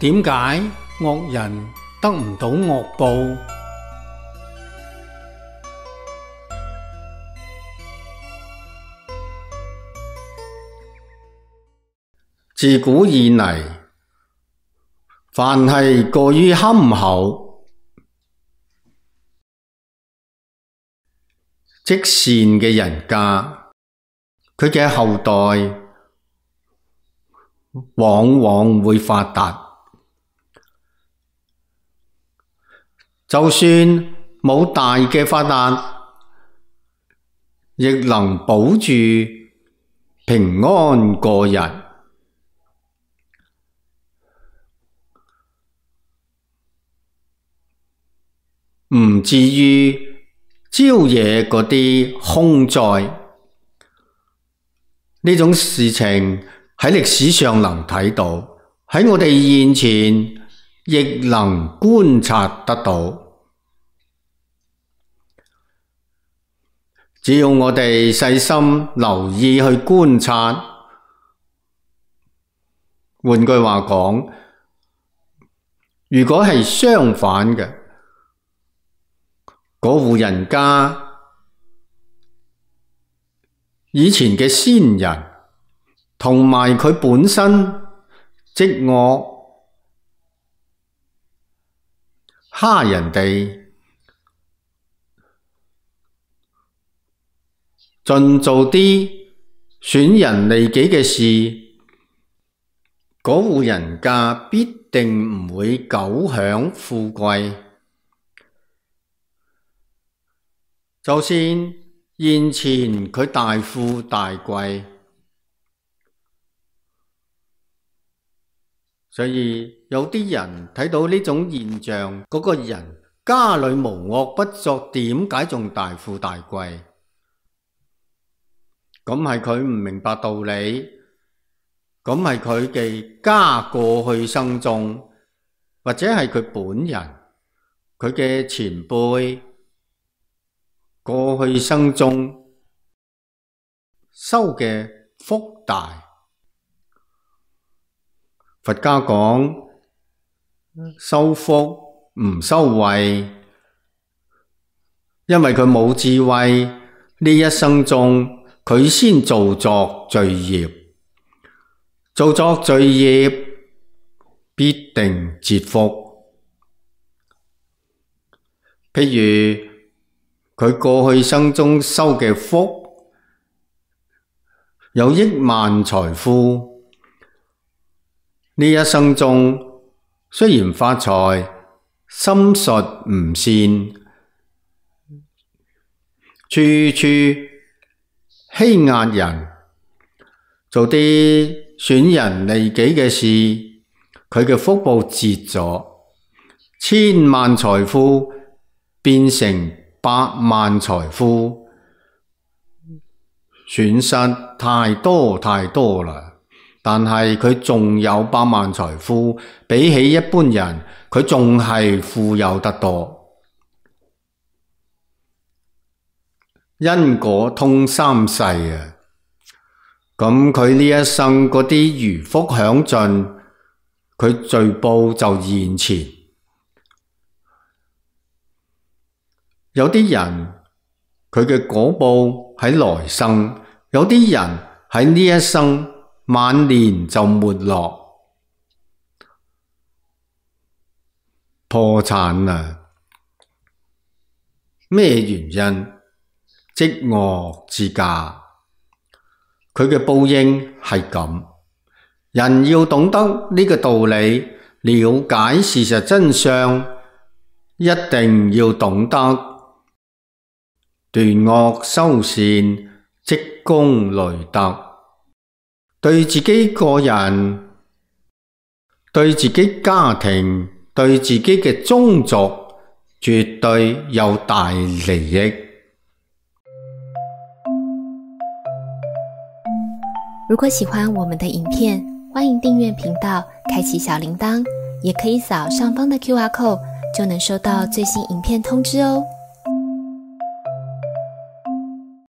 點解惡人得唔到惡報？自古以嚟，凡係過於憨厚、積善嘅人家，佢嘅後代往往會發達。就算冇大嘅發達，亦能保住平安過日。唔至於招惹嗰啲凶災。呢種事情喺歷史上能睇到，喺我哋現前亦能觀察得到。只要我哋細心留意去觀察，換句話講，如果係相反嘅，嗰戶人家以前嘅先人同埋佢本身積惡蝦人哋，盡做啲損人利己嘅事，嗰戶人家必定唔會久享富貴。就算現前佢大富大貴，所以有啲人睇到呢種現象，嗰個人家裏無惡不作，點解仲大富大貴？咁係佢唔明白道理，咁係佢嘅家過去生中，或者係佢本人，佢嘅前輩過去生中修嘅福大。佛家講修福唔修慧，因為佢冇智慧，呢一生中佢先造作罪業，造作罪業必定折福。譬如佢過去生中修嘅福，有億萬財富，呢一生中雖然發財，心術唔善，處處欺壓人，做啲損人利己嘅事，佢嘅福報折咗，千萬財富變成百萬財富，損失太多太多啦。但係佢仲有百萬財富，比起一般人，佢仲係富有得多。因果通三世啊！咁佢呢一生嗰啲餘福享盡，佢罪報就現前。有啲人佢嘅果報喺來生，有啲人喺呢一生晚年就沒落破產啦。咩原因？積惡之家，佢嘅報應係咁。人要懂得呢個道理，了解事實真相，一定要懂得斷惡修善，積功累德。對自己個人、對自己家庭、對自己嘅宗族，絕對有大利益。如果喜歡我們的影片，歡迎訂閱頻道，開啟小鈴鐺，也可以掃上方的QR code，就能收到最新影片通知哦。